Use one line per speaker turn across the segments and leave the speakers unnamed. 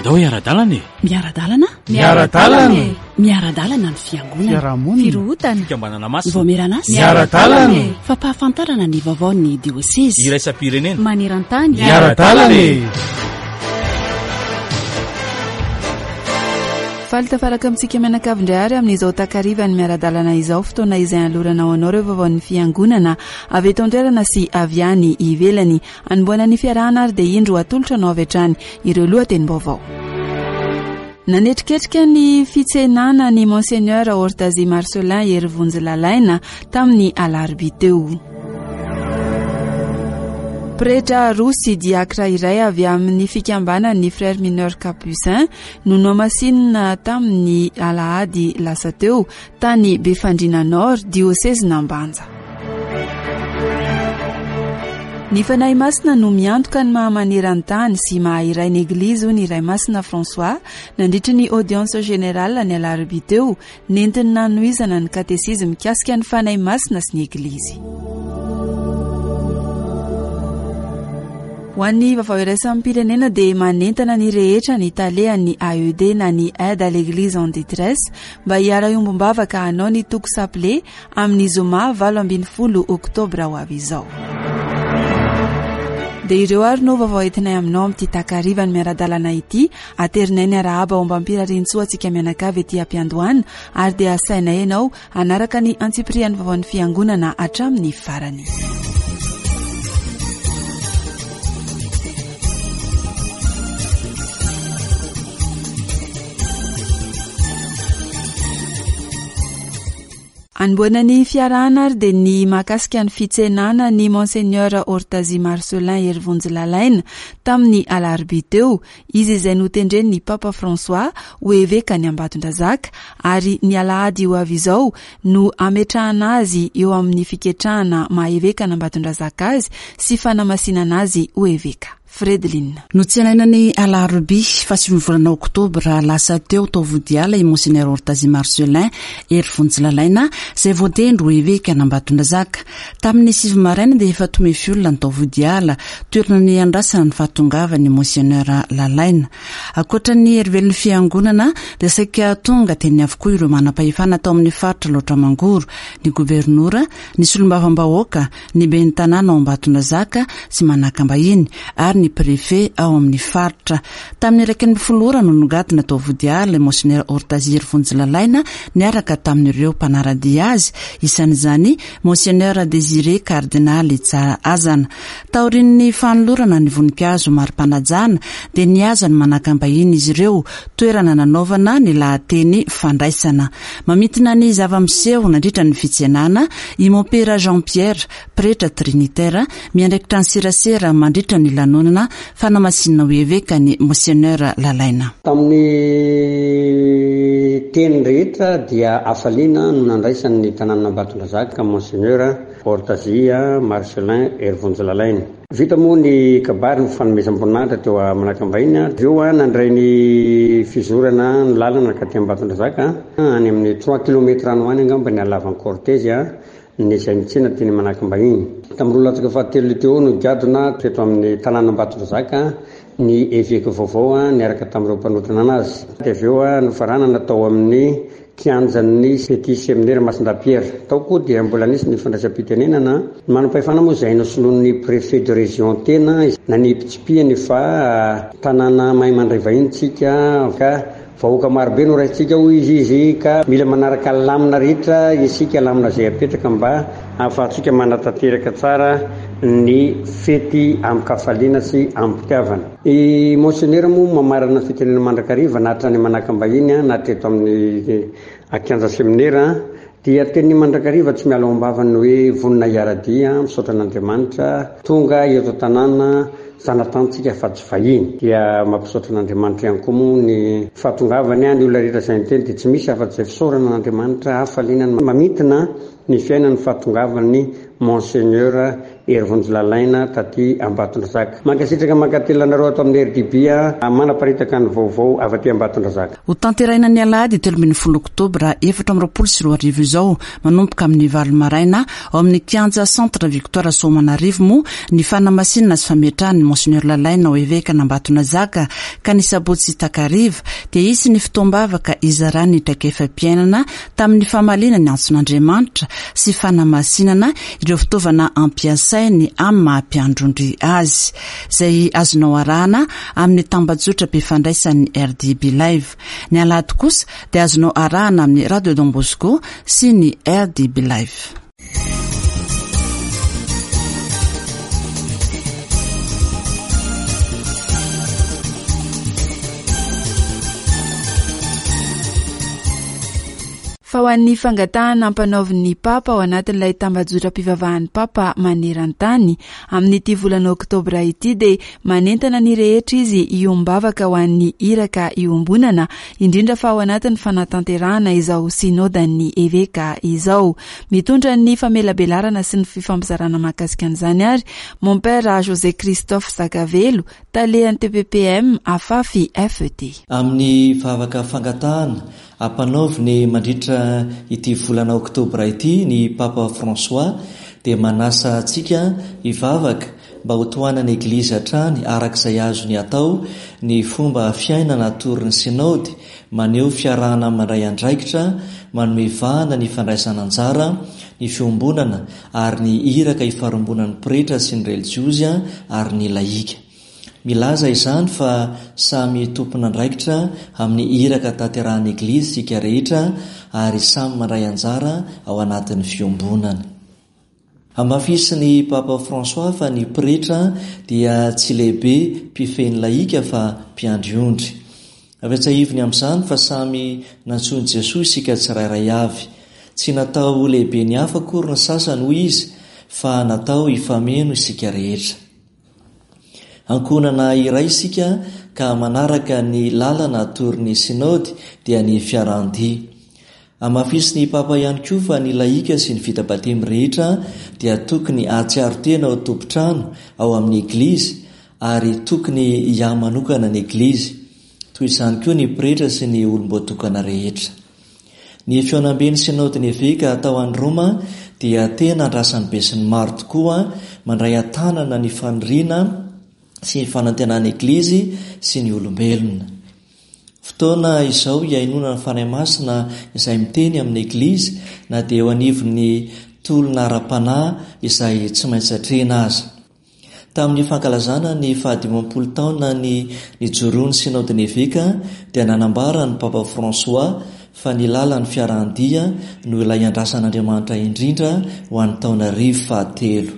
Andao hiara-dalana e!
Miara-dalana?
Miara-dalana e!
Miara-dalana ny fiangonana.
Fiarahamonina.
Firohotana.
Fikambanana masina.
Ny vaomieran'asa.
Miara-dalana e!
Fampahafantarana ny vaovaon'ny diosezy.
Iraisam-pirenena.
Maneran-tany.
Miara-dalana e!
Faly tafaraka amintsika mianakavy indray ary amin'izao takarivan'ny miara-dalana izao, fotoana izay anolorana ho anao ireo vaovaon'ny fiangonana avy eto an-toerana sy avy any ivelany. Anombohana ny fiarahana ary dia indro atolotra anao avy hatrany ireo lohatenim-baovao. Nanetriketrika ny fitsenana ny Monseigneur Hortazy Marcelin Herivonjy Lalaina tamin'ny alarobia teo. Pretra roa sy diakra iray avy amin'ny fikambanan'ny Frères Mineurs Capucins no nohamasinina tamin'ny alahady lasa teo tany Befandriana Nord, diosezin'Ambanja. Ny Fanahy Masina no miantoka ny maha maneran-tany sy maha iray ny Eglizy hoy ny Ray Masina François nandritry ny audience générale ny alarobia teo nentiny nanohizana ny katesizy mikasika ny Fanahy Masina sy ny Eglizy. Ho an'ny vaovao iraisam-pirenena dia manentana ny rehetra ny talehan'ny AED na ny Aide à l'Eglise en détresse mba hiara-hiombom-bavaka hanao ny toko saple amin'ny zoma 18 oktobra ho avy izao. Dia ireo ary no vaovao entinay aminao amin'ity takariva ny miara-dalana ity. Aterinay ny arahaba ombam-pirariantsoa antsika mianakavy ety am-piandohana ary dia asainay ianao hanaraka ny antsipirian'ny vaovaon'ny fiangonana hatramin'ny farany. Anombohana ny fiarahana ary dia ny mahakasika ny fitsenana ny Monseigneur Hortazy Marcelin Herivonjy Lalaina tamin'ny alarobia teo, izy izay notendren'ny Papa François ho evekan'i Ambatondrazaka ary ny alahady ho avy izao no hametrahana azy eo amin'ny fiketrahana maha evekan'Ambatondrazaka azy sy fanamasinana azy ho eveka. Fredeline.
Notsenaina ny alarobia fahasivin'ny volana oktobra lasa teo tao Vodiala i Monseigneur Hortazy Marcelin Hery Vonjilalaina izay voatendry ho evekan'Ambatondrazaka. Tamin'ny sivy maraina dia efa tomefy olona ny tao Vodiala, toerana niandrasana ny fahatongavan'i Monseigneur Lalaina. Ankoatra ny herivelon'ny fiangonana dia saika tonga teny avokoa ireo manam-pahefana tao amin'ny faritra Alaotra Mangoro, ny governora, ny solombavambahoaka, ny ben'ny tanàna ao Ambatondrazaka sy Manakambahiny ary ny préfet ao amin'ny faritra. Tamin'ny 11 ora no nogadona tao Vodiala i Monseigneur Hortazir Vonjilalaina niaraka tamin'ireo mpanara-dia azy, isan'izany Monseigneur Désiré Kardinaly Tsarahazana. Taorian'ny fanolorana ny voninkazo mari-panajana dia nihazo an'i Manakambahiny izy ireo, toerana nanaovana ny lahateny fandraisana. Mamintina ny zava-miseho nandritra ny fitsenana i Mompera Jean Pierre, pretra trinitaire, miandraikitra ny serasera mandritra ny lanonana fanamasinana ho eveka ny Monseigneur Lalaina.
Tamin'ny teny rehetra dia hafaliana no nandraisany ny tanànan'Ambatondrazaka Monseigneur Hortazia Marcellin Herivonjy-Lalaina. Vita moa ny kabary ny fanomezam-boninahitra teo Manakambahiny avy eo nandray ny fizorana ny lalana nankaty Ambatondrazaka any amin'ny trois kilomètres any ho any angamba ny halavan'ny cortège ny izay nitsena teny Manakambahiny. Tamin'ny roa latsaka fahatelo teo no nigadona teto amin'ny tanàn'Ambatondrazaka ny eveka vaovao niaraka tamin'ireo mpanotrona azy. Dia avy eo nofaranana tao amin'ny Kianjan'ny Petit Seminaire Masindahy Pierre. Tao koa dia mbola nisy ny fandraisam-pitenenana. Ny manam-pahefana moa izay nosoloin'ny Préfet de Région tena nanipitsipihany fa tanàna mahay mandray vahiny tsika ka vahoaka marobe no raisintsika hoy izy izy ka mila manaraka lamina rehetra isika, lamina izay apetraka mba ahafahantsika manatanteraka tsara ny fety amin-kafaliana sy amim-pitiavana. I Monsenera moa mamarana ny fitenenana mandrakariva na hatrany Manakambahiny na teto amin'ny kianja seminera dia teniny mandrakariva tsy miala ao am-bavany ny hoe vonona hiara-dia, misaotra an'Andriamanitra tonga eto an-tanàna zanatantsika fa tsy vahiny. Dia mampisaotra an'Andriamanitra ihany koa moa ny fahatongavany, ny olona rehetra izay niteny dia tsy misy afa-tsy izay fisaorana an'Andriamanitra, hafaliana mamintina ny fiainany fahatongavan'ny Monseigneur Herivonjy Lalaina taty Ambatondrazaka. Mankasitraka mankatelina anareo ato amin'ny RDB manaparitaka ny vaovao avy aty Ambatondrazaka.
Ho tanterahina ny alahady 13 oktobra 2024 izao, manomboka amin'ny valo maraina, ao amin'ny kianja Centre Victoire Soamanarivo moa ny fanamasinana sy fametrahana ny. an'i Monseigneur Lalaina ho Evekan'Ambatonazaka ka ny sabotsy takariva dia hisy ny fotoam-bavaka hizarany ny traikefam-piainana tamin'ny famaliana ny antson'Andriamanitra sy fanamasinana ireo fitaovana ampiasainy amin'ny maha mpiandrondry azy, izay azonao arahana amin'ny tambajotram-pifandraisan'ny RDB Live. Ny alahady kosa dia azonao arahana amin'ny Radio Don Bosco sy ny RDB Live.
Fa ho an'ny fangatahana ampanaovin'ny Papa ao anatin'ilay tambajotram-pivavahan'ny Papa maneran-tany amin'ity volana oktobra ity dia manentana ny rehetra izy hiombavaka ho an'ny iraka iombonana, indrindra fa ao anatin'ny fanatanterahana izao Synodan'ny Eveka izao. Mitondra ny famelabelarana sy ny fifampizarana mahakasika an'izany ary Mompera José Christophe Zakavelo, Talehan'ny TPPM Afafi FET.
Amin'ny vavaka fangatahana ampanaoviny mandritra ity volana oktobra ity ny Papa François dia manasa antsika hivavaka mba ho tohanan'ny Eglizy hatrany araka izay azony atao ny fomba fiainana atoron'ny Sinaody maneho fiarahana mandray andraikitra, manome vahana ny fandraisana anjara, ny fiombonana ary ny iraka ifarimbonan'ny pretra sy ny relijiozy ary ny lahika. Milaza izany fa samy tompon'andraikitra amin'ny iraka tanterahan'ny Eglizy isika rehetra ary samy mandray anjara ao anatin'ny fiombonana. Hamafisin'ny Papa François fa ny pretra dia tsy lehibe mpifehy ny lahika fa mpiandry ondry. Ampatsiahiviny amin'izany fa samy nantsoin'i Jesoa isika tsirairay avy. Tsy natao ho lehiben'ny hafa akory ny sasany hoy izy fa natao hifameno isika rehetra. Ankohonana iray isika ka manaraka ny lalana atoron'ny Sinaody dia ny fiarahan-dia. Hamafisin'ny Papa ihany koa fa ny lahika sy ny vita batemy rehetra dia tokony hahatsiaro tena ho tompon-trano ao amin'ny Eglizy ary tokony hiahy manokana ny Eglizy. Toy izany koa ny pretra sy ny olom-boatokana rehetra. Ny fihaonamben'ny Sinaodin'ny Eveka atao any Roma dia tena andrasan'ny besinimaro tokoa mandray an-tanana ny faniriana sy ny fanantenan'ny Eglizy sy ny olombelona. Fotoana izao hihainoana ny Fanahy Masina izay miteny amin'ny Eglizy na dia eo anivon'ny tolona ara-panahy izay tsy maintsy atrehina aza. Tamin'ny fankalazana ny fahadimampolo taonany nijoroan'ny Sinaodin'ny Eveka dia nanambara ny Papa François fa ny lalan'ny fiarahan-dia no ilay andrasan'Andriamanitra indrindra ho an'ny taonarivo fahatelo.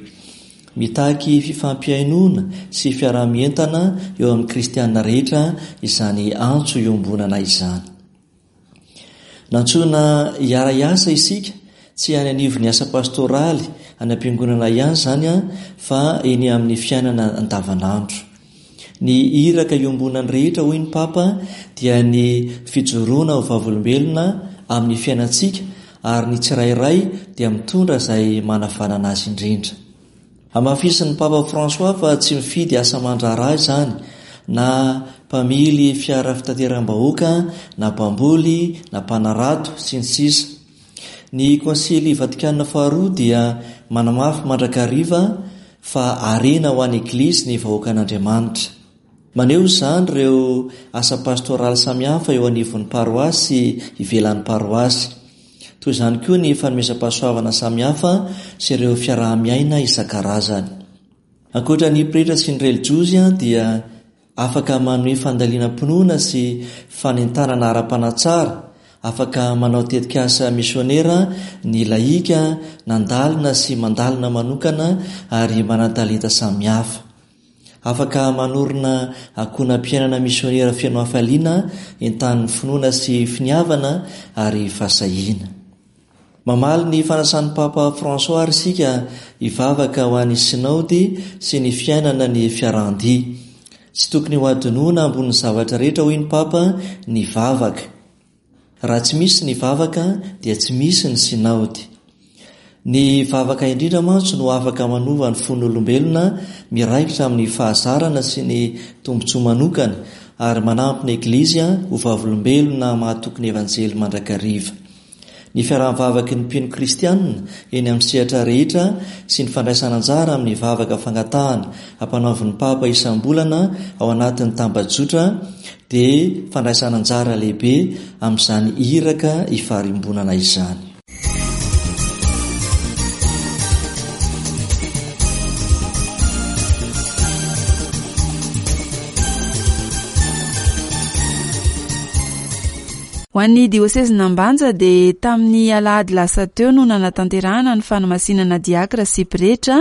Mitaky fifampihainoana sy fiaraha-mientana eo amin'ny kristiana rehetra izany antso iombonana izany. Nantsoina hiara-hiasa isika, tsy any anivon'ny asa pastoraly any am-piangonana ihany izany fa eny amin'ny fiainana andavanandro. Ny iraka iombonan'ny rehetra hoy ny Papa dia ny fijoroana ho vavolombelona amin'ny fiainantsika ary ny tsirairay dia mitondra izay manavanana azy indrindra. Hamafisin'ny Papa François fa tsy mifidy asa aman-draharaha izany, na mpamily fiara fitateram-bahoaka, na mpamboly, na mpanarato, sy ny sisa Ny Konsily Vatikana Faharoa dia manamafy mandrakariva fa harena ho an'ny Eglizy ny vahoakan'Andriamanitra. Maneho izany ireo asa pastoraly samihafa eo anivon'ny paroasy sy ivelan'ny paroasy. Toy izany koa ny fanomezam-pahasoavana samihafa sy ireo fiaraha-miaina isan-karazany. Ankoatra ny pretra sy ny relijiozy dia afaka manome fandalinam-pinoana sy fanentanana ara-panahy tsara, afaka manao tetikasa misionera ny lahika nandalina sy mandalina manokana ary manan-talenta samihafa. Afaka manorina ankohonam-piainana misionera feno hafaliana, entanin'ny finoana sy finiavana ary fahasahiana. Mamaly ny fanasan'ny Papa François àry isika hivavaka ho an'ny Sinaody sy ny fiainana ny fiarahan-dia. Tsy tokony hohadinoina ambonin'ny zavatra rehetra, hoy ny Papa, ny vavaka. Raha tsy misy ny vavaka dia tsy misy ny sinaody. Ny vavaka indrindra mantsy no afaka manova ny fon'olombelona miraikitra amin'ny fahazarana sy ny tombontsoa manokana ary manampy ny Eglizy ho vavolombelona mahatoky ny Evanjely mandrakariva. Ny fiaraha-mivavaky ny mpino kristianina eny amin'ny sehatra rehetra sy ny fandraisana anjara amin'ny vavaka fangatahana ampanaovin'ny Papa isam-bolana ao anatin'ny tambajotra dia fandraisana anjara lehibe amin'izany iraka ifarimbonana izany.
Ho an'ny diosezin'Ambanja dia tamin'ny alahady lasa teo no nanatanterahana ny fanamasinana diakra sy pretra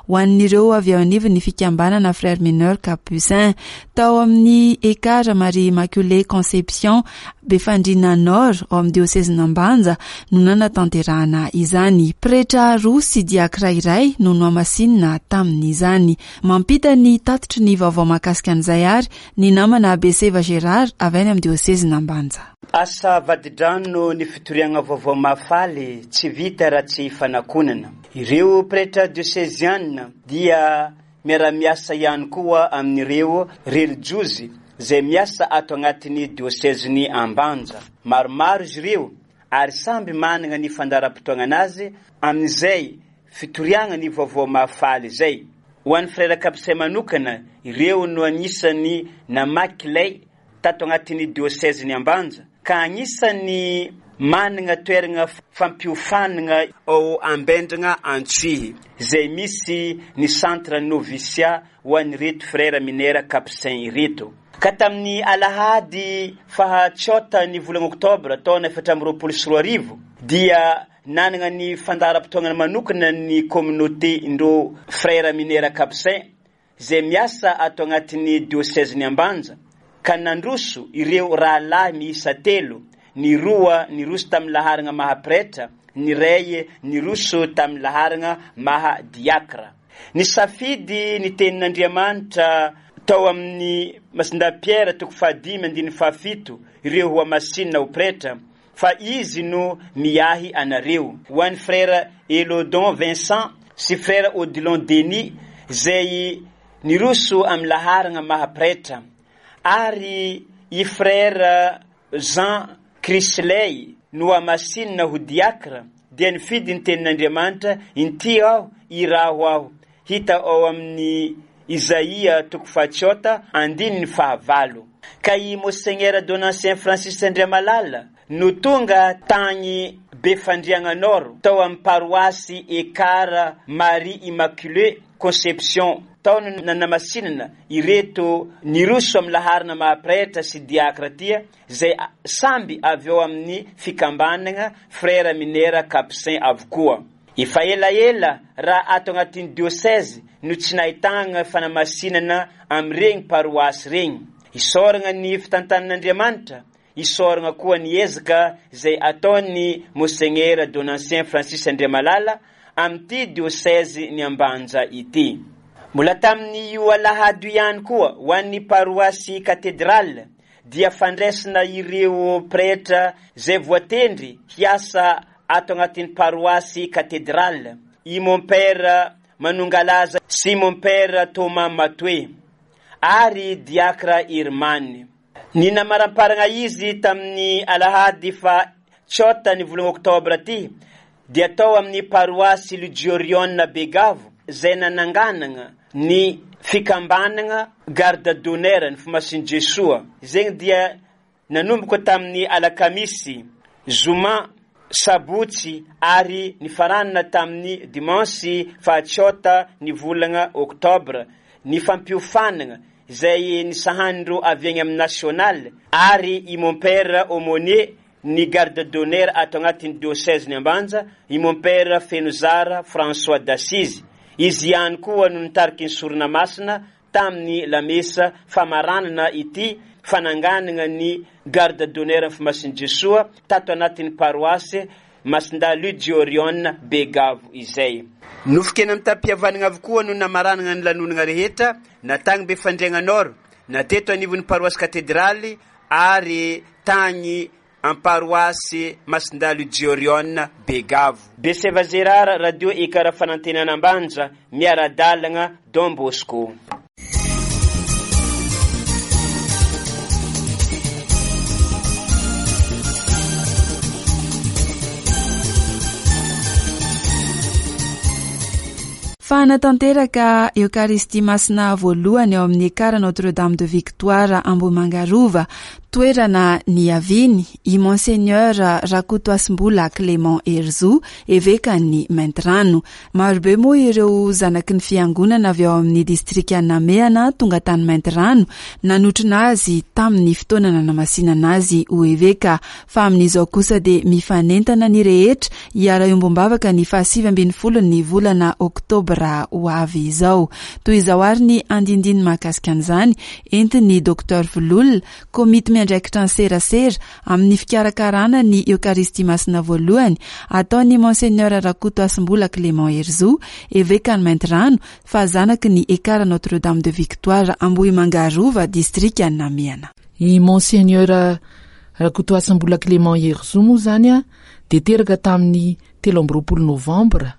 ho an'ireo avy ao anivon'ny fikambanana Frères Mineurs Capucins tao amin'ny Ekar Marie Immaculée Conception Befandriana Nord ao amin'ny diosezin'Ambanja no nanatanterahana izany. Pretra roa sy diakra iray no nohamasinina tamin'izany. Mampita ny tatitry ny vaovao mahakasika an'izay ary Ny namana Beseva Gérard avy any amin'ny diosezin'Ambanja.
Asa vadi-drano ny fitoriagna vaovao mahafaly tsy vita raha tsy fanakonana. Ireo pretra dioseziana dia miara-miasa ihany koa amin'ireo relijiozy izay miasa ato agnatin'ny diosezin'i Ambanja. Maromaro izy ireo ary samby managna ny fandaharam-potoagnan'azy amin'izay Fitoriagna ny vaovao mahafaly izay. Ho an'ny Frera Capucin manokana, ireo no anisan'ny namaky lay tato agnatin'ny diosezin'i Ambanja, ka agnisan'ny managna toeragna fampiofanagna ao Ambendragna Antsohihy, izay misy ny centre noviciat ho an'ireto Frera Minera Capucin ireto. Ka tamin'ny alahady faha tsôta ny volagna oktobra taona 2024 dia Nanana ny fandaharam-potoagnany manokana ny communauté ndrô Frères Minera Capucins izay miasa ato agnatin'ny diosezin'i Ambanja ka nandroso ireo rahalahy miisa telo, ny roa niroso tamin'ny laharagna maha pretra, ny iray niroso tamin'ny laharagna maha diakra. Nisafidy ny tenin'Andriamanitra tao amin'ny Masindahy Pierre toko fahadimy andininy fahafito ireo hohamasinina ho pretra fa izy no miahy anareo. Ho an'i Frère Elodon Vincent sy Frère Odilon Denis izay niroso amin'ny laharagna maha pretra ary i Frère Jean Chrisley nohamasinina ho diakra dia nifidy ny tenin'Andriamanitra, Inty aho, iraho aho, hita ao amin'ny Izaia toko fahatsiota andininy fahavalo. Ka i Monseigneur Donatien Francis Andriamalala no tonga tagny Befandriagna Nord tao amin'ny paroasy Ekar Marie Immaculée Conception tao no nanamasinana ireto niroso amin'ny laharana maha pretra sy diakra ty izay samby avy ao amin'ny fikambanagna Frères Minera Capucins avokoa. Efa elaela raha ato agnatin'ny diocèse no tsy nahitagna fanamasinana amin'iregny paroasy regny. Isaoragna ny fitantanan'Andriamanitra, isaoragna koa ny ezaka izay ataon'ny Monseigneur Donatien Francis Andriamalala amin'ity diocèse ny Ambanja ity. Mbola tamin'io alahady io ihany koa ho an'ny paroasy Cathedrale dia fandraisana ireo pretra izay voatendry hiasa ato agnatin'ny paroasy Cathedrale, i Mompera Manongalaza sy Mompera Thomas Matoe ary Diakra Irmany. Ny namaramparagna izy tamin'ny alahady faha tsôta ny volagna oktobra ty dia tao amin'ny paroasy Lugiorione Begavo izay nananganagna ny fikambanagna Garde d'honneur ny Fomasin'i Jesoa. Zegny dia Nanomboka tamin'ny alakamisy, zoma, sabotsy ary nifaranana tamin'ny dimansy fahatsiota ny volana oktobra ny fampiofanana izay nisahanin'ireo avy eny amin'ny national ary i Mompera Aumônier ny garde d'honneur ato agnatin'ny diocèse-n'i Ambanja, i Mompera Fenozara François d'Assise. Izy ihany koa no nitariky ny sorona masina tamin'ny lamesa famaranana ity fananganana ny Garde d'honneur ny Fimasin'i Jesoa tato anatin'ny paroasy Masindahy Lugiorione Begavo izay. Nofon-kena mitam-pihavanana avokoa no namaranana ny lanonana rehetra, na tagny Befandriagna Nord, na teto anivon'ny paroasy Katedraly ary tagny Am-paroasy Masindahy Lugiorione Begavo. Beseva Gérard, Radio Ekar Fanantenana Ambanja, miara-dalagna Don Bosco.
Fa hanatanteraka Eokaristia Masina voalohany ao amin'ny Ekara Notre Dame de Victoire Ambohimanga Rova, toerana niaviany, i Monseigneur Rakotohasimbola Clément Herizo, evekan'i Maintirano. Marobe moa ireo zanaky ny fiangonana avy ao amin'ny distrikan'i Namehana tonga tany Maintirano nanotrona azy tamin'ny fotoana nanamasinana azy ho eveka. Fa amin'izao kosa dia mifanentana ny rehetra hiara-hiombom-bavaka ny fahasivy ambin'ny ny volana oktobra ho avy izao. Toy izao ary ny andindiny mahakasika an'izany entin'ny Docteur Vololona, komity miandraikitra ny serasera amin'ny fikarakarana ny Eokaristia Masina voalohany ataon'i Monseigneur Rakotohasimbola Clément Herizo, Evekan'i Maintirano, fa zanaky ny Ekara Notre Dame de Victoire Ambohimanga Rova, distrikan'i Namehana.
I Monseigneur Rakotohasimbola Clément Herizo moa izany dia teraka tamin'ny 23 novambra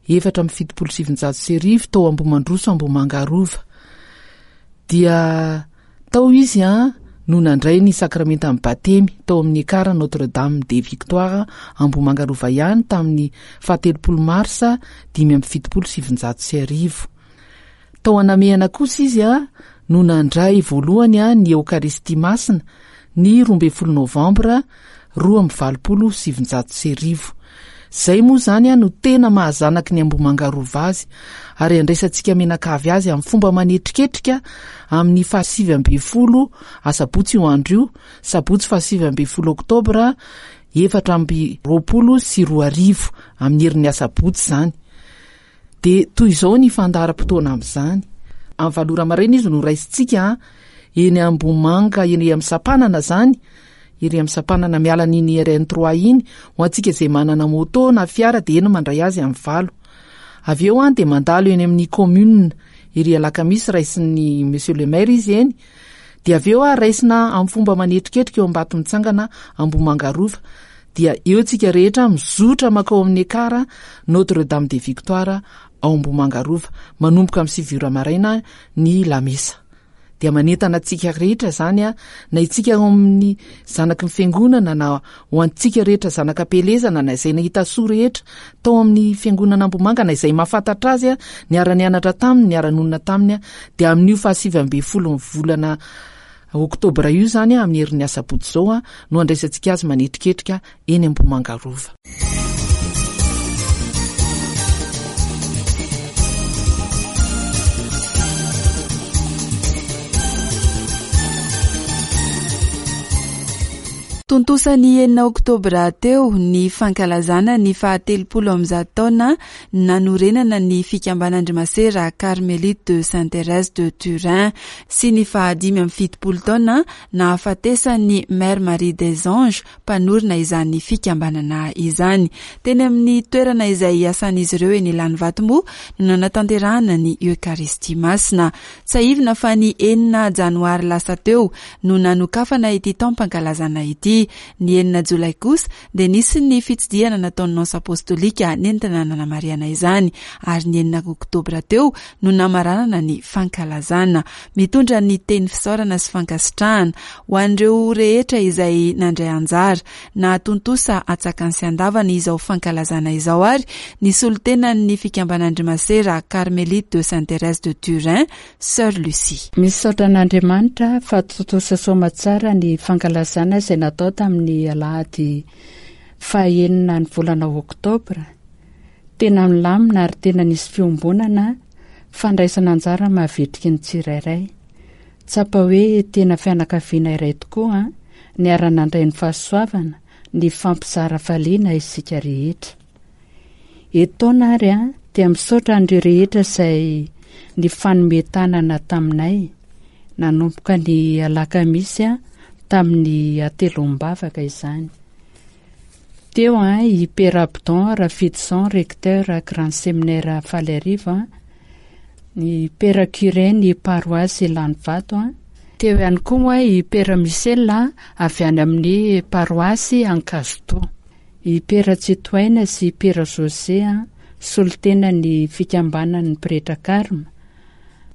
1974 tao Ambohimandroso Ambohimanga Rova. Dia tao izy no nandray ny sakramentan'ny batemy tao amin'ny Ekara Notre Dame des Victoires Ambohimanga Rova ihany tamin'ny fahatelopolo marsa 1975. Tao Anamehana kosa izy no nandray voalohany ny Eokaristia Masina ny 12 novambra 1982. Izay moa izany no tena maha zanaky ny Ambohimanga Rova azy ary andraisantsika mianakavy azy amin'ny fomba manetriketrika amin'ny faha-19 asabotsy io andro io, sabotsy faha-19 oktobra 2024 amin'ny herin'ny asabotsy izany. Dia toy izao ny fandaharam-potoana amin'izany. Amin'ny valo ora maraina izy no raisintsika eny Ambohimanga, eny amin'ny sampanana izany, ery amin'ny sampanana miala an'iny RN trois iny, ho antsika izay manana moto na fiara dia eny mandray azy amin'ny valo. Avy eo dia mandalo eny amin'ny commune ery Alakamisy, raisin'ny monsieur le maire izy eny, dia avy eo raisina amin'ny fomba manetriketrika eo Ambatomitsangana Ambohimanga Rova, dia eo tsika rehetra mizotra makao amin'ny Ekara Notre Dame des Victoires ao Ambohimanga Rova manomboka amin'ny sivy ora maraina ny lamesa. Dia manentana antsika rehetra izany a, na itsika ao amin'ny zanaky ny fiangonana na ho antsika rehetra zanaka am-pielezana na izay nahita soa rehetra tao amin'ny fiangonana Ambohimanga na izay mahafantatra azy a, niara-nianatra taminy, niara-nonina taminy a, dia amin'io fahasivy ambin'ny folon'ny volana Oktobra io izany amin'ny herin'ny asabotsy izao no handraisantsika azy manetriketrika eny Ambohimanga Rova.
Tontosa ny enina oktobra teo ny fankalazana ny fahatelopolo amby taona nanorenana ny fikambanan-dry Masera Carmelite de Sainte Thérèse de Turin sy ny faha-75 taona nahafatesan'ny Mère Marie des Anges mpanorina izany fikambanana izany. Teny amin'ny toerana izay iasan'izy ireo eny Ilanivato moa no nanatanterahana ny Eokaristia Masina. Tsiahivina fa ny enina janoary lasa teo no nanokafana ity taom-pankalazana ity. Ny enina jolay kosa dia nisy ny fitsidihana nataon'ny Nonce Apostolika nentina nanamarihana izany ary ny enina oktobra teo no namaranana ny fankalazana. Mitondra ny teny fisaorana sy fankasitrahana ho an'ireo rehetra izay nandray anjara nahatontosa atsakany sy andavany izao fankalazana izao ary ny solontenan'ny fikambanan-dry Masera Carmelite de Sainte Thérèse de Turin, Sœur Lucie.
Misaotra an'Andriamanitra fa tontosa soamatsara ny fankalazana izay natao tamin'ny alahady faha-enina ny volana oktobra. Tena nilamina ary tena nisy fiombonana, fandraisana anjara mahavitrika ny tsirairay. Tsapa hoe tena fianakaviana iray tokoa, niara-nandray ny fahasoavana, nifampizara hafaliana isika rehetra. Etoana ary dia misaotra an'ireo rehetra izay nifanome tanana taminay nanomboka ny alakamisy tamin'ny hatelom-bavaka izany. Teo i Père Abdon Rafidison, recteur Grand Séminaire Faliarivo, ny Père Curé ny paroasy Ilanivato, teo ihany koa i Père Michel avy any amin'ny paroasy Ankazotoa. I Pera Tsitohaina sy i Pera José, solontenan'ny Fikambanan'ny Pretra Karma.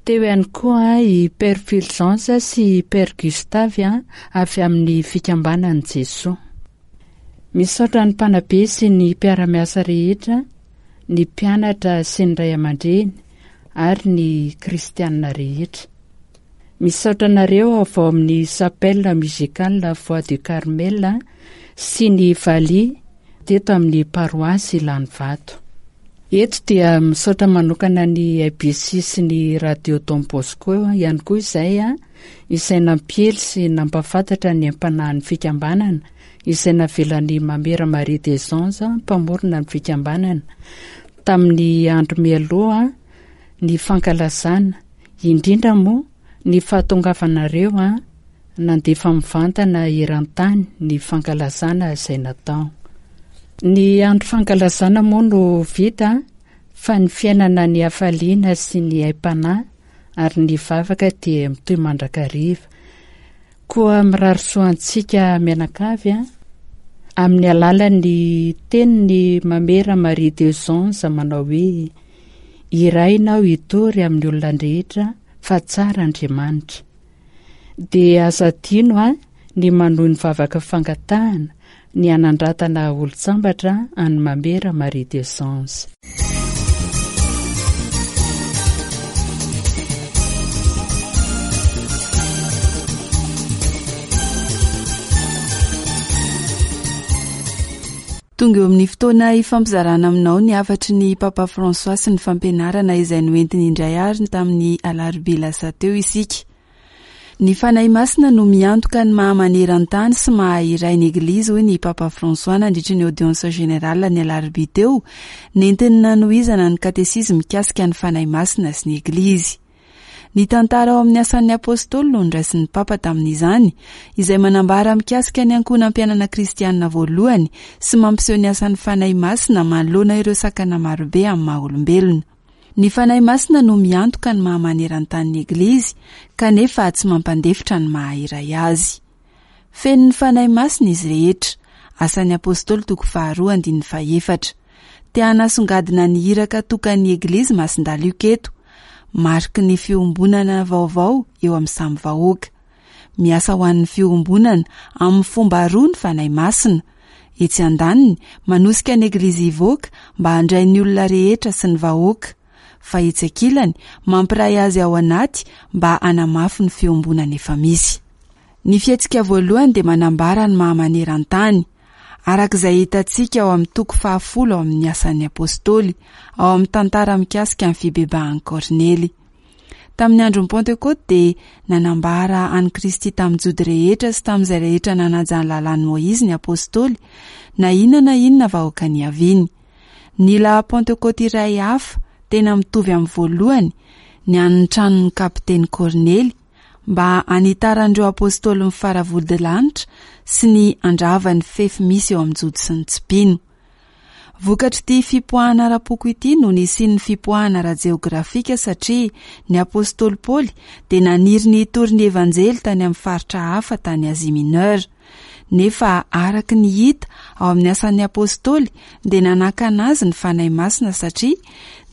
Teo ihany koa i Père Fulgence sy i Père Gustave avy amin'ny Fikambanan'i Jesoa. Misaotra ny mpanabe sy ny mpiara-miasa rehetra. ny mpianatra sy ny ray aman-dreny ary ny kristianina rehetra. Misaotra anareo avy ao amin'ny Chapelle Musicale Voix du Carmel sy ny valiha teto amin'ny paroasy Ilanivato. Eto dia misaotra manokana ny ABC sy ny Radio Don Bosco ihany koa izay izay nampiely sy nampahafantatra ny aim-panahin'ny fikambanana izay navelan'i Mamera Marie des Anges mpamorona ny fikambanana tamin'ny andro mialoha ny fankalazana indrindra moa ny fahatongavanareo nandefa mivantana eran-tany ny fankalazana izay natao. Ny andro fankalazana moa no vita fa ny fiainana ny hafaliana sy ny aim-panahy ary ny vavaka dia mitohy mandrakariva. Koa mirary soa antsika mianakavy a, amin'ny alalan'ny tenin'i Mamera Marie des Anges manao hoe, Irahina aho hitory amin'ny olona rehetra fa tsara Andriamanitra. Dia aza adino a ny manohy ny vavaka fangatahana ny hanandratana olon-tsambatra an'i Mamera Marie des Anges.
Tonga eo amin'ny fotoana hifampizarana aminao ny hafatry ny Papa François sy ny fampianarana izay noentiny indray ary tamin'ny alarobia lasa teo isika. Ny Fanahy Masina no miantoka ny maha maneran-tany sy maha iray ny Eglizy hoy ny Papa François nandritry ny audience générale ny alarobia teo, nentiny nanohizana ny katesizy mikasika ny Fanahy Masina sy ny Eglizy. Ny tantara ao amin'ny Asan'ny Apostoly no noraisin'ny Papa tamin'izany, izay manambara mikasika ny ankohonam-piainana kristianina voalohany sy mampiseho ny asan'ny Fanahy Masina manoloana ireo sakana marobe amin'ny maha olombelona. Ny Fanahy Masina no miantoka ny maha maneran-tany ny Eglizy, kanefa tsy mampandefitra ny maha iray azy. Feno ny Fanahy Masina izy rehetra. Asan'ny Apostoly toko faharoa andininy fahefatra. Te hanasongadina ny iraka tokan'ny Eglizy Masindahy Lioka eto. Mariky ny fiombonana vaovao eo amin'ny samy vahoaka. Miasa ho an'ny fiombonana amin'ny fomba roa ny Fanahy Masina. Etsy andaniny, manosika ny Eglizy hivoaka mba handray ny olona rehetra sy ny vahoaka. Fa etsy ankilany, mampiray azy ao anaty mba hanamafy ny fiombonana efa misy. Ny fihetsika voalohany dia manambara ny maha maneran-tany, araka izay hitantsika ao amin'ny toko fahafolo ao amin'ny Asan'ny Apostoly, ao amin'ny tantara mikasika ny fibebahan'i Kornely. Tamin'ny andron'ny Pantekôty dia nanambara an'i Kristy tamin'ny Jody rehetra sy tamin'izay rehetra nanaja ny lalàn'i Môizy ny Apostoly, na inona na inona vahoaka niaviany. Nila Pantekôty iray hafa, tena mitovy amin'ny voalohany, ny an'ny tranon'ny kapiteny Kornely, mba hanitaran'ireo apostoly ny faravodilanitra sy ny handrava ny fefy misy eo amin'ny Jody sy ny tsy mpino. Vokatr'ity fipoahana ara-poko ity no nisian'ny fipoahana ara-jeografika satria ny apostoly Paoly dia naniry ny hitory ny Evanjely tany amin'ny faritra hafa tany Asie Mineure. Nefa araka ny hita ao amin'ny Asan'ny Apostoly dia nanakana azy ny Fanahy Masina satria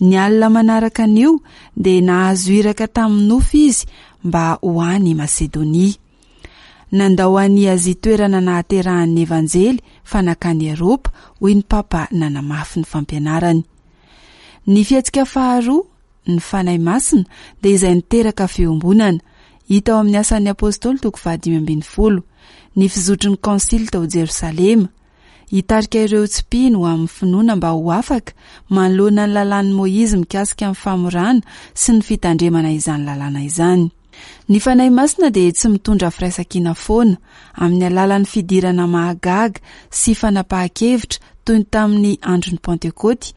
ny alina manaraka an'io dia nahazo iraka tamin'ny nofy izy mba ho any Masedonia. Nandao an'i Azia toerana nahaterahan'ny Evanjely fa nankany Eropa, hoy ny Papa nanamafy ny fampianarany. Ny fihetsika faharoa Ny Fanahy Masina dia izay niteraka fiombonana, hita ao amin'ny Asan'ny Apostoly toko faha-15, ny fizotry ny Konsily tao Jerosalema, hitarika ireo tsy mpino ho amin'ny finoana mba ho afaka manoloana ny lalàn'i Moizy mikasika ny famorana sy ny fitandremana izany lalàna izany. Ny Fanahy Masina dia tsy mitondra firaisankina foana, amin'ny alalan'ny fidirana mahagaga sy fanapahan-kevitra toy ny tamin'ny andron'ny Pantekôty,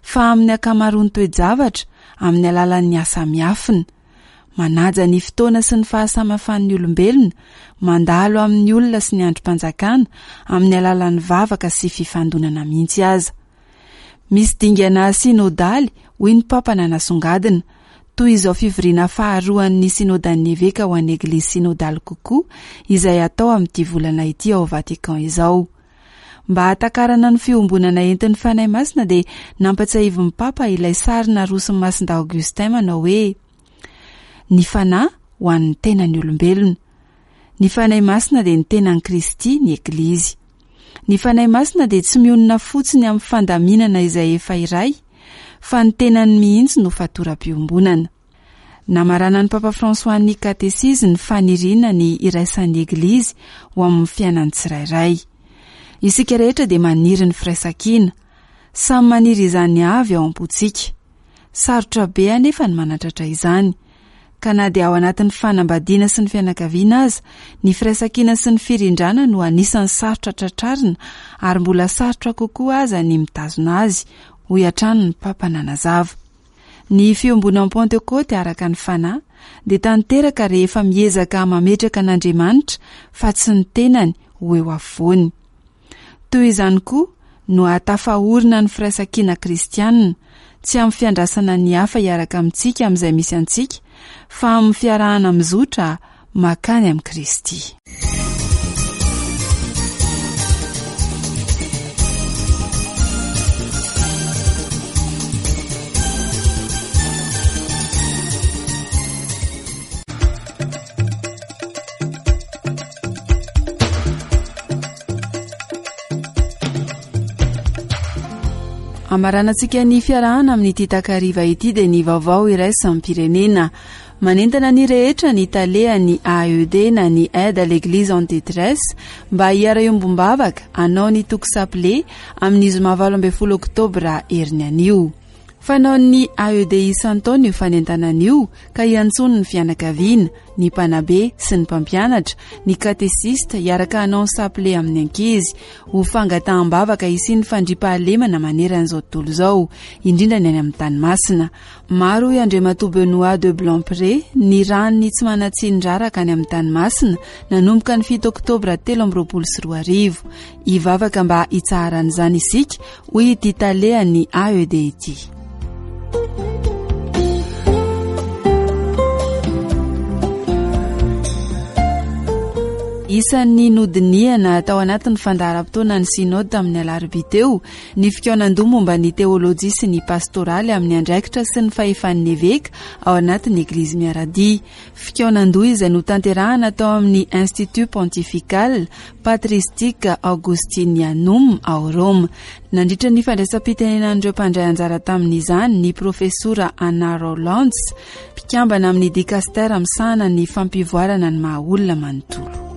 fa amin'ny ankamaroan'ny toe-javatra, amin'ny alalan'ny asa miafina. Manaja ny fotoana sy ny fahasamihafan'ny olombelona, mandalo amin'ny olona sy ny andrim-panjakana, amin'ny alalan'ny vavaka sy fifandonana mihitsy aza. Misy dingana synodaly, hoy ny Papa nanasongadina, toy izao fivoriana faharoan'ny Synodan'ny Eveka ho an'ny Eglizy synodaly kokoa izay hatao amin'ity volana ity ao Vatican izao. Mba hahatakarana ny fiombonana entin'ny Fanahy Masina dia nampatsiahivin'ny Papa ilay sary naroson'i Masindahy Augustin manao hoe, Ny Fanahy ho an'ny tenan'ny olombelona. Ny Fanahy Masina dia ny tenan'i Kristy, ny Eglizy. Ny Fanahy Masina dia tsy mionona fotsiny amin'ny fandaminana izay efa iray, fa ny tenany mihitsy no fatoram-piombonana. Namaranan'ny Papa François ny katesizy ny faniriana ny hiraisan'ny Eglizy ho amin'ny fiainan'ny tsirairay. Isika rehetra dia maniry ny firaisankina. Samy maniry izany avy ao am-pontsika. Sarotra be anefa ny manatratra izany. Ka na dia ao anatin'ny fanambadiana sy ny fianakaviana aza, ny firaisankina sy ny firindrana no anisan'ny sarotra tratrarina ary mbola sarotra kokoa aza ny mitazona azy, hoy hatrany ny Papa nanazava. Ny fiombonan'ny Pantekôty araka ny Fanahy dia tanteraka rehefa miezaka mametraka an'Andriamanitra fa tsy ny tenany ho eo afovoany. Toy izany koa no hahatafaorina ny firaisankina kristianina, tsy amin'ny fiandrasana ny hafa hiaraka amintsika amin'izay misy antsika, fa amin'ny fiarahana mizotra makany amin'i Kristy. Amaranantsika ny fiarahana amin'ity takariva ity dia ny vaovao iraisam-pirenena. Manentana ny rehetra ny talehan'ny AED na ny Aide à l'Eglise en Détresse mba hiara-iombom-bavaka hanao ny toko saple amin'ny zoma 18 oktobra heriny anio. Fanaon'ny AED isan-taona io fanentanana io ka iantsoany ny fianakaviana, ny mpanabe sy ny mpampianatra, ny katesista hiaraka hanao ny saple amin'ny ankizy, ho fangataham-bavaka hisian'ny fandriampahalemana maneran'izao tontolo izao, indrindra ny any amin'ny tany masina. Maro hoy Andriamatoa Benoît de Blanpré, ny ran'ny tsy manan-tsiny raraka any amin'ny tany masina, nanomboka ny 7 oktobra 2023. Hivavaka mba hitsaharan'izany isika, hoy ity talehan'ny AED ity. Isan'ny nodinihana tao anatin'ny fandaharam-potoanan'ny Synode tamin'ny alarobia teo ny fikaonandoha momba ny teolojia sy ny pastoraly amin'ny andraikitra sy ny fahefan'ny eveka ao anatin'ny Eglizy Miaradia. Fikaonandoha izay notanterahana tao amin'ny Institut Pontifical Patristique Augustinianum ao Roma. Nandritra ny fandraisam-pitenenan'ireo mpandray anjara tamin'izany ny Profesora Anna Rowlands, mpikambana amin'ny dikastera misahana ny fampivoarana ny maha olona manontolo.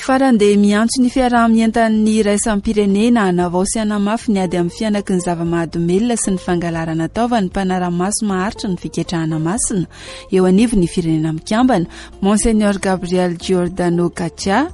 Farany dia miantso ny fiaraha-mientan'ny iraisam-pirenena hanavao sy hanamafy ny ady amin'ny fihanaky ny zava-mahadomelina sy ny fangalarana taova ny mpanara-maso maharitra ny fiketrahana masina eo anivon'ny Firenena Mikambana, Monseigneur Gabriel Giordano Caccia.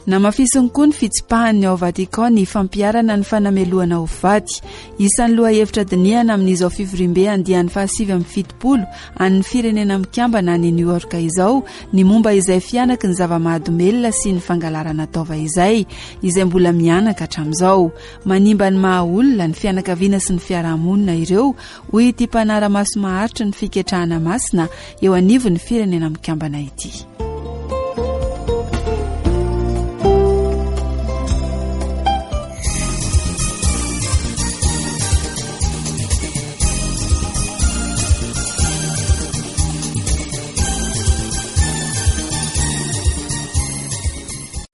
Namafisiny koa ny fitsipahan'ny ao Vatican ny fampiharana ny fanamelohana ho faty. Isan'ny lohahevitra dinihana amin'izao fivoriambe andiany faha-79 an'ny Firenena Mikambana any New York izao ny momba izay fihanaky ny zava-mahadomelina sy ny fangalarana taova izay, izay mbola mihanaka hatramin'izao. Manimba ny maha-olona, ny fianakaviana sy ny fiarahamonina ireo, hoy ity mpanara-maso maharitry ny fiketrahana masina eo anivon'ny Firenena Mikambana ity.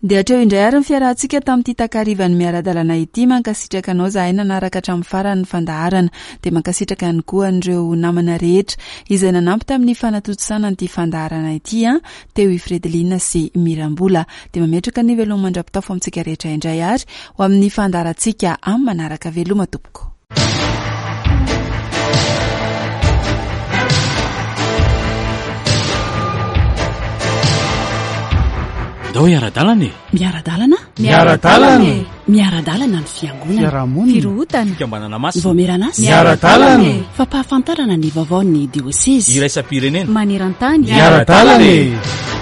Dia hatreo indray ary ny fiarahantsika tamin'ity takarivan'ny miara-dalana ity. Mankasitraka anao zahay nanaraka hatramin'ny farany ny fandaharana. Dia mankasitraka ihany koa an'ireo namana rehetra izay nanampy tamin'ny fanatontosana an'ity fandaharana ity an, teo i Fredeline sy Mirambola. Dia mametraka ny veloma mandra-pitafo amintsika rehetra indray ary ho amin'ny fandaharantsika amin'ny manaraka. Veloma tompoko.
Ndao hiara-dalana e!
Miara-dalana?
Miara-dalana e!
Miara-dalana ny fiangonana.
Fiarahamonina.
Firohotana.
Fikambanana masina.
Ny vaomieran'asa.
Miara-dalana e!
Fampahafantarana ny vaovaon'ny diosezy.
Iraisam-pirenena.
Maneran-tany.
Miara-dalana e!